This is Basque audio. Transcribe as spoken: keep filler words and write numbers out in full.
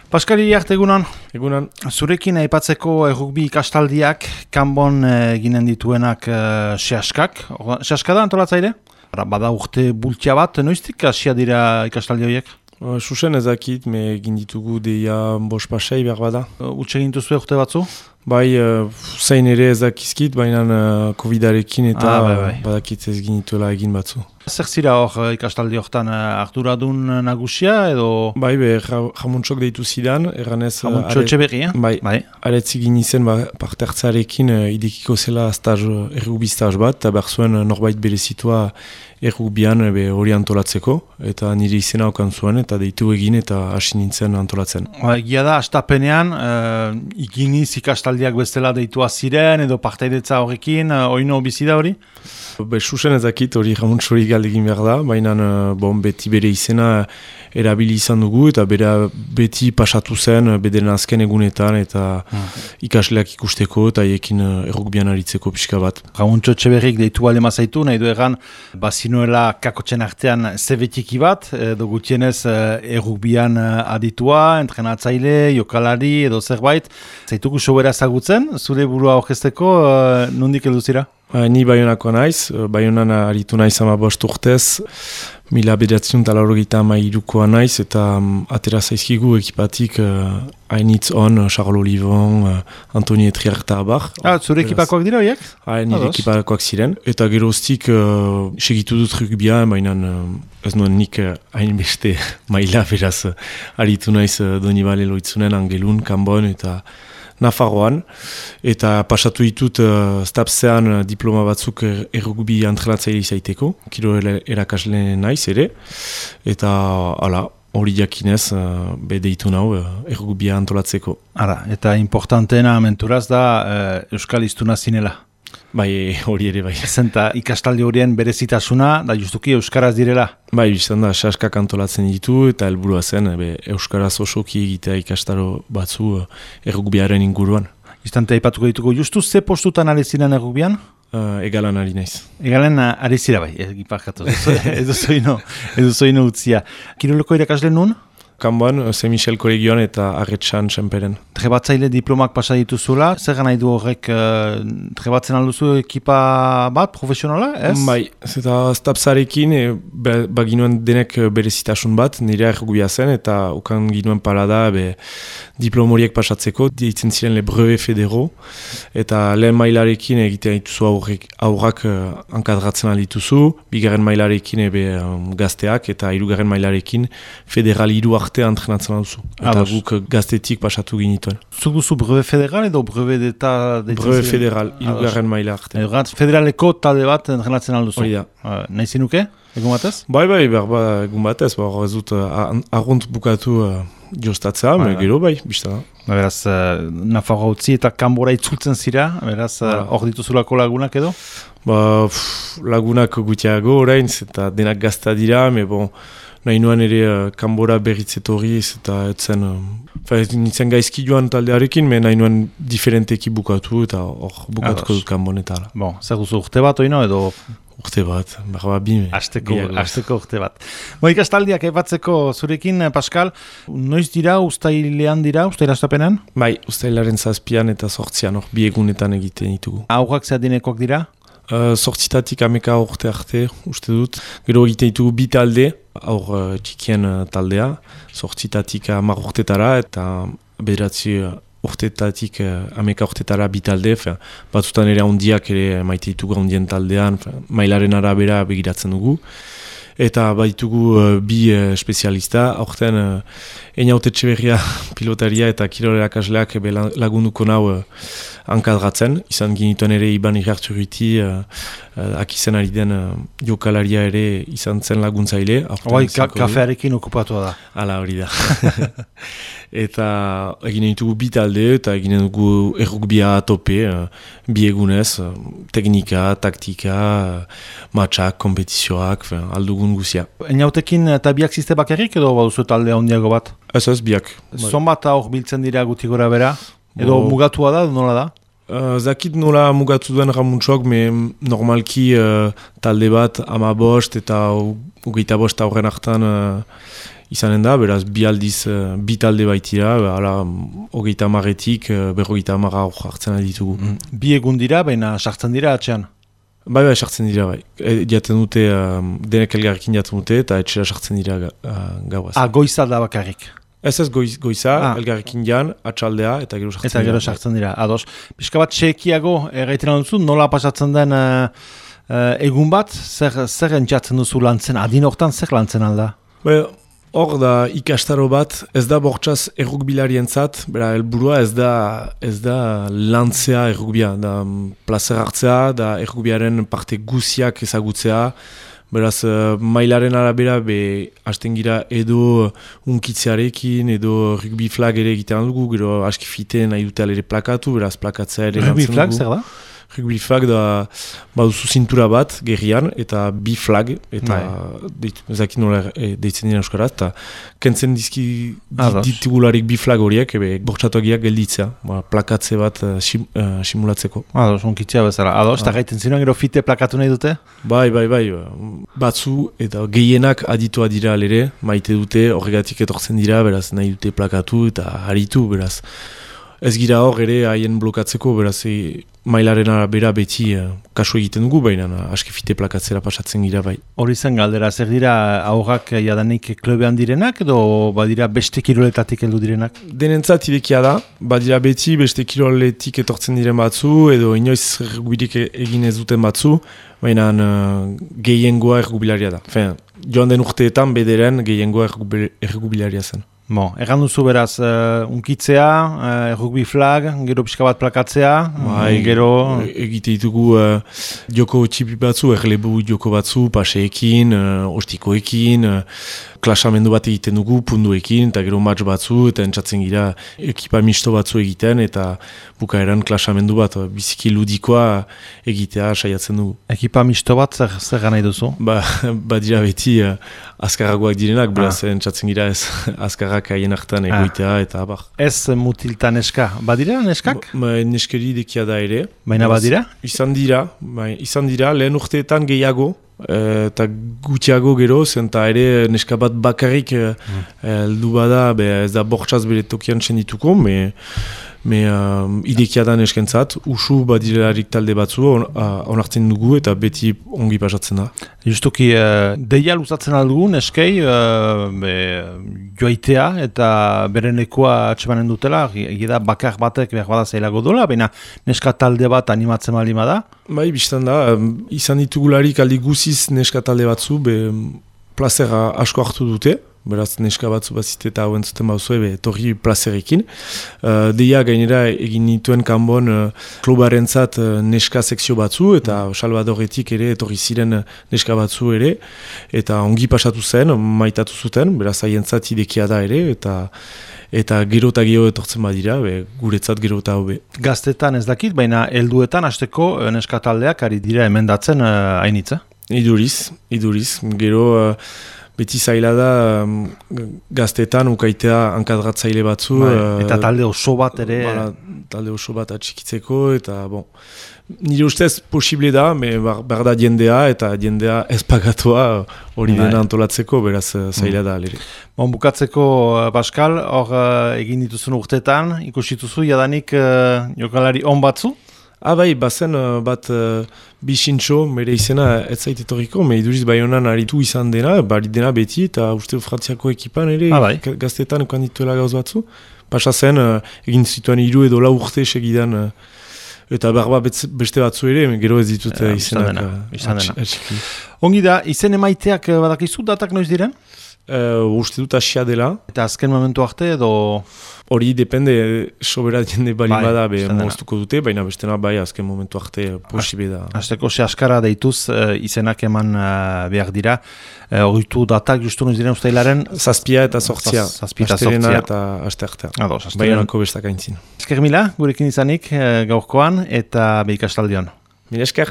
Paskal Iriart, egunon. Egunon. Zurekin aipatzeko errugbi ikastaldiak kanbon eginen dituenak uh, sehaskak. Sehaska da antolatzaile? Bada urte bultia bat, noiztik hasia dira ikastaldi horiek? Susen ezakit, me egin ditugu deia bos pasei behar bada. Utsa egin duzu urte batzu? Bai, uh, zein ere ezakizkit, baina uh, covidarekin eta ah, bai, bai. badakit ez ginituela egin batzu. Zer zira hor ikastaldi hortan arduradun nagusia edo? Bai, be, jamuntsok deitu zidan, erranez... Jamuntxo etxeberri, eh? Bai, bai. Aretzi gin izen ba, parte hartzarekin uh, idekiko zela staz, errugbi staz bat, eta behar zuen norbait berezitua errugbian hori antolatzeko, eta nire izena okan zuen, eta deitu egin eta hasi nintzen antolatzen. Egia da, astapenean, uh, ikiniz ikastaldiak bestela deitua ziren, edo partaidetza horrekin, uh, oino bizi da hori? Be, susen ezakit hori jamuntsori galdegin behar da, baina bon, beti bere izena erabili izan dugu, eta bere beti pasatu zen bederen azken egunetan, eta hmm. ikasleak ikusteko, eta ekin errugbian aritzeko pixka bat. Jamuntxo etxeberrik deitu alema zaitu, nahi du egan, bazinuela kakotxen artean zebetiki bat, edo gutienez errugbian aditua, entrenatzaile, jokalari, edo zerbait. Zaituko sobera zagutzen, zure burua orkesteko, nondik edu zira? Ni Baionako naiz, Baionan aritu naiz ama bost urtez, mila bederatziun talarrogeita ama irukoa naiz, eta um, atera zaizkigu ekipatik uh, hainitz on, Charles Olivon, uh, Antoni Etriarta abar. Ah, zure ekipakoak dira horiek? Ah, nire ekipakoak ziren. Eta geroztik uh, segitu dut rugbia, baina uh, ez nuen nik hainbeste uh, maila beraz uh, aritu naiz uh, Donibale loitzunen, Angelun, Kanbon eta Nafarroan, eta pasatu ditut uh, stapsean uh, diploma batzuk er, errugbi entrenatzaile izaiteko, kilo erakasle naiz ere, eta ala, hori jakinez uh, be deitu nau uh, errugbia antolatzeko. Ara, eta importanteena menturaz da uh, Euskal Hiztuna zinela. Bai, hori ere bai. Zenta ikastaldi horien berezitasuna, da justuki Euskaraz direla. Bai, biztan da, saskak antolatzen ditu, eta helburua zen, be, Euskaraz osoki egitea ikastaro batzu errugbiaren inguruan. Istante aipatuko dituko, justu ze postutan ari ziren errugbian? Uh, egalan ari naiz. Egalan ari zira bai, egiparkatu, edo zoino, edo zoino utzia. Kiroleko irakasle nun? Kanboan, Saint-Michel kolegioan eta Arretxan Txemperen. Trebatzaile diplomak pasa dituzula, zer nahi du horrek uh, trebatzen alduzu ekipa bat, profesionala, ez? Bai, eta stapsarekin e, baginuen denek berezitasun bat, nire errugubia zen, eta ukan ginuen parada be, diplomoriek pasatzeko, ditzen ziren le brevet federo, eta lehen mailarekin egiten dituzu aurrak, aurrak uh, ankadratzen aldituzu, bigarren mailarekin ebe um, gazteak, eta hirugarren mailarekin federal hiru arte entrenatzen duzu. Eta guk gaztetik pasatu ginituen. Zuk duzu brevet federal edo brevet d'eta? Brevet federal, hirugarren maila arte. Federaleko talde bat entrenatzen alduzu. Hori da. Uh, nahi zinuke, egun batez? Bai, bai, berba egun batez. Hor ez dut arrunt bukatu uh, jostatzea, bai, gero bai, bizta da. Beraz, uh, Nafarroa utzi eta Kanbora itzultzen zira, beraz, hor uh, dituzulako lagunak edo? Ba, pff, lagunak gutiago orain, eta denak gazta dira, me bon, nahi nuen ere uh, Kanbora berritzetoriz eta etzen, uh, nintzen gaizki joan taldearekin, me nahi nuen diferenteki bukatu eta hor bukatuko dut Kanbonetara. Bon, zer duzu urte bat oino edo? Urte bat, berba bime. Azteko, azteko urte bat. Bo, ikastaldiak ebatzeko zurekin, Paskal, noiz dira, ustailean dira, ustaila astapenean? Bai, ustailaren zazpian eta sortzian, hor bi egunetan egiten ditugu. Aurrak zehadinekoak dira? Uh, sortzitatik ameka urte arte, uste dut. Gero egiten ditugu bi talde, aur uh, txikien uh, taldea, sortzitatik hamar urtetara eta bederatzi uh, urtetatik uh, ameka urtetara bi talde, batzutan ere handiak ere maite ditugu handien taldean, mailaren arabera begiratzen dugu. Eta baitugu uh, bi uh, espezialista, aurten uh, Einaute Etxeberria pilotaria eta kirol erakasleak lagunduko nau uh, ankadratzen. Izan ginituen ere Iban Igarturriti, uh, uh, akizen ari den uh, jokalaria ere izan zen laguntzaile. Hoi, ka kafearekin okupatua da. Hala hori da. Eta eginen ditugu bi talde eta eginen dugu errugbia tope, uh, bi egunez, uh, teknika, taktika, uh, matxak, kompetizioak, aldugun guzia. Einautekin eta biak ziste bakarrik edo baduzu talde handiago bat? Ez ez, biak. Zonbat hor biltzen dira guti gora bera? Edo Bo... mugatua da, nola da? Uh, zakit nola mugatu duen ramuntsok, me normalki uh, talde bat ama bost eta ugeita bost aurren hartan uh, izanen da, beraz bi aldiz uh, bi talde baitira, hala hogeita hamaretik uh, berrogeita hamara hor hartzen ditugu. Mm. Bi egun dira, baina sartzen dira atxean? Bai, bai, sartzen dira, bai. E, jaten dute, uh, denek elgarrekin jaten dute, eta etxera sartzen dira uh, gauaz. Ah, goiza da bakarrik? Ez ez goiz, goiza, ah. elgarrekin jan, atxaldea, eta gero sartzen eta dira. Eta gero sartzen dira, ados. Pixka bat txekiago, erraiten duzu, nola pasatzen den uh, uh, egun bat, zer, zer entzatzen duzu lantzen, adin hortan zer lantzen alda? Bai, hor da ikastaro bat, ez da bortxaz errukbilarientzat, bera helburua ez da ez da lantzea errukbia, da plazer hartzea, da errukbiaren parte guziak ezagutzea, beraz mailaren arabera be hasten gira edo unkitzearekin, edo rugby flag ere egitean dugu, gero aski fite nahi dute alere plakatu, beraz plakatzea ere rugby lantzen flag, dugu. Zer da? Rugby flag da baduzu zintura bat gerrian eta bi flag eta ezakin nola e, deitzen dira euskaraz eta kentzen dizki ditugularik bi flag horiek ebe bortxatuagiak gelditzea, ba, plakatze bat uh, sim, uh, simulatzeko. Ados, unkitzea bezala. Ados, eta gaiten zinuan gero fite plakatu nahi dute? Bai, bai, bai. Batzu eta gehienak aditua dira alere, maite dute, horregatik etortzen dira, beraz nahi dute plakatu eta haritu, beraz. Ez gira hor ere haien blokatzeko, beraz e, mailaren arabera beti uh, kasu egiten dugu, baina uh, aski fite plakatzera pasatzen gira bai. Hori zen galdera, zer dira aurrak jadanik klubean direnak edo badira beste kiroletatik heldu direnak? Denentzat irekia da, badira beti beste kiroletik etortzen diren batzu edo inoiz ergubirik egin ez duten batzu, baina uh, gehiengoa ergubilaria da. Fen, joan den urteetan bederen gehiengoa ergubilaria zen. Bon, erran duzu beraz, uh, unkitzea, uh, rugby flag, gero pixka bat plakatzea, bai, gero... Egite ditugu uh, joko txipi batzu, erlebu joko batzu, paseekin, uh, ostikoekin, uh, klasamendu bat egiten dugu, punduekin, eta gero match batzu, eta entzatzen gira ekipa misto batzu egiten, eta bukaeran klasamendu bat, biziki ludikoa egitea saiatzen dugu. Ekipa misto bat, zer, zer gana duzu? Ba, ba dira beti uh, azkarragoak direnak, beraz ah. entzatzen gira ez azkarrak haien hartan egoitea, ah. eta abar. Ez mutilta neska, badira neskak? Ba, neskeri dekia da ere. Baina badira? Izan dira, ba, izan dira, lehen urteetan gehiago, eta gutxiago gero, zenta ere neska bat bakarrik mm. heldu bada, be, ez da bortxaz bere tokian txendituko, me, me uh, idekia da neskentzat, usu badirarik talde batzu on, uh, onartzen dugu eta beti ongi pasatzen da. Justuki, uh, deia luzatzen aldugu neskei uh, be, joaitea eta berenekoa atxemanen dutela, egida bakar batek behar bada zailago dola, baina neska talde bat animatzen malima da? Bai, biztan da, izan ditugularik aldi guziz neska talde batzu, be, plazera asko hartu dute, beraz neska batzu bazite eta hauen zuten bauzue, be, torri plazerekin. Uh, deia gainera egin nituen kanbon uh, klubarentzat uh, neska sekzio batzu, eta Salvadoretik ere etorri ziren neska batzu ere, eta ongi pasatu zen, maitatu zuten, beraz haientzat idekia da ere, eta eta gero eta geho etortzen badira, be, guretzat gero eta hobe. Gaztetan ez dakit, baina helduetan hasteko neska taldeak ari dira emendatzen uh, hainitza? Iduriz, iduriz. Gero uh, beti zaila da um, gaztetan ukaitea hankadratzaile batzu. Bai, eta talde oso bat ere. Bala, talde oso bat atxikitzeko, eta bon. Nire ustez posible da, me behar da jendea, eta jendea ez pagatua hori dena antolatzeko, beraz zaila da alere. Bon, bukatzeko, Pascal, hor uh, egin dituzun urtetan, ikusituzu jadanik uh, jokalari on batzu? Ah bai, bazen uh, bat uh, bisintxo, mere izena ez zait etorriko, me iduriz bai honan aritu izan dena, bari dena beti, eta uste Frantziako ekipan ere, ah, bai. gaztetan ekan dituela gauz batzu. Pasa zen, uh, egin zituan hiru edo lau urte segidan, uh, eta berba beste batzu ere, gero ez ditut uh, izenak. Izan dena. Ongi da, izen emaiteak badakizu datak noiz diren? Uh, uste dut asia dela. Eta azken momentu arte edo... Hori depende, sobera jende bali bai, bada, be, moztuko dute, baina bestena bai azken momentu arte posibe da. Azteko se askara deituz uh, izenak eman uh, behar dira. Horritu uh, datak justu noiz diren ustailaren? Zazpia eta sortzia. Zazpia eta sortzia. Eta aste artea. Ados, Baionako bestak aintzin. Esker mila, gurekin izanik uh, gaurkoan eta behikastaldion. Mil esker.